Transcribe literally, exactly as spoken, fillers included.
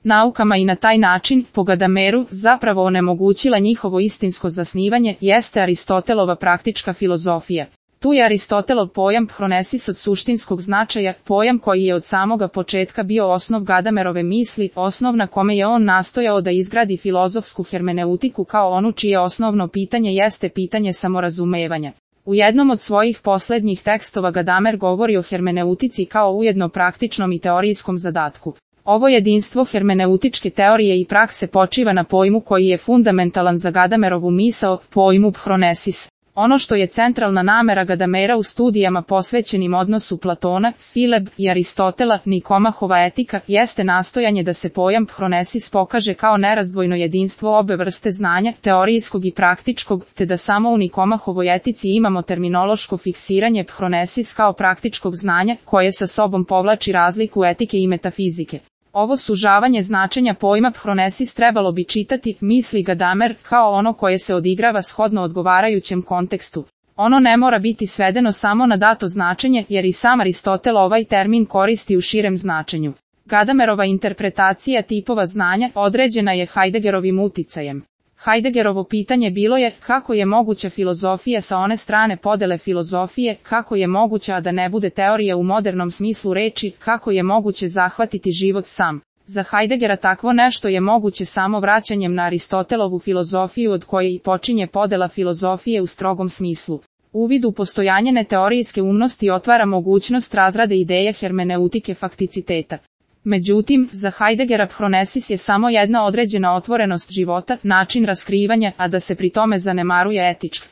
naukama i na taj način, po Gadameru, zapravo onemogućila njihovo istinsko zasnivanje, jeste Aristotelova praktička filozofija. Tu je Aristotelov pojam phronesis od suštinskog značaja, pojam koji je od samoga početka bio osnov Gadamerove misli, osnov na kome je on nastojao da izgradi filozofsku hermeneutiku kao onu čije osnovno pitanje jeste pitanje samorazumevanja. U jednom od svojih poslednjih tekstova Gadamer govori o hermeneutici kao ujedno praktičnom i teorijskom zadatku. Ovo jedinstvo hermeneutičke teorije i prakse počiva na pojmu koji je fundamentalan za Gadamerovu misao, pojmu phronesis. Ono što je centralna namera Gadamera u studijama posvećenim odnosu Platona, Fileb i Aristotela, Nikomahova etika, jeste nastojanje da se pojam phronesis pokaže kao nerazdvojno jedinstvo obe vrste znanja, teorijskog i praktičkog, te da samo u Nikomahovoj etici imamo terminološko fiksiranje phronesis kao praktičkog znanja, koje sa sobom povlači razliku etike i metafizike. Ovo sužavanje značenja pojma phronesis trebalo bi čitati, misli Gadamer, kao ono koje se odigrava shodno odgovarajućem kontekstu. Ono ne mora biti svedeno samo na dato značenje, jer i sam Aristotel ovaj termin koristi u širem značenju. Gadamerova interpretacija tipova znanja određena je Heideggerovim uticajem. Heideggerovo pitanje bilo je kako je moguća filozofija sa one strane podele filozofije, kako je moguća da ne bude teorija u modernom smislu reči, kako je moguće zahvatiti život sam. Za Heideggera takvo nešto je moguće samo vraćanjem na Aristotelovu filozofiju od koje i počinje podela filozofije u strogom smislu. Uvid u postojanje neteorijske umnosti otvara mogućnost razrade ideje hermeneutike fakticiteta. Međutim, za Heideggera phronesis je samo jedna određena otvorenost života, način raskrivanja, a da se pri tome zanemaruje etička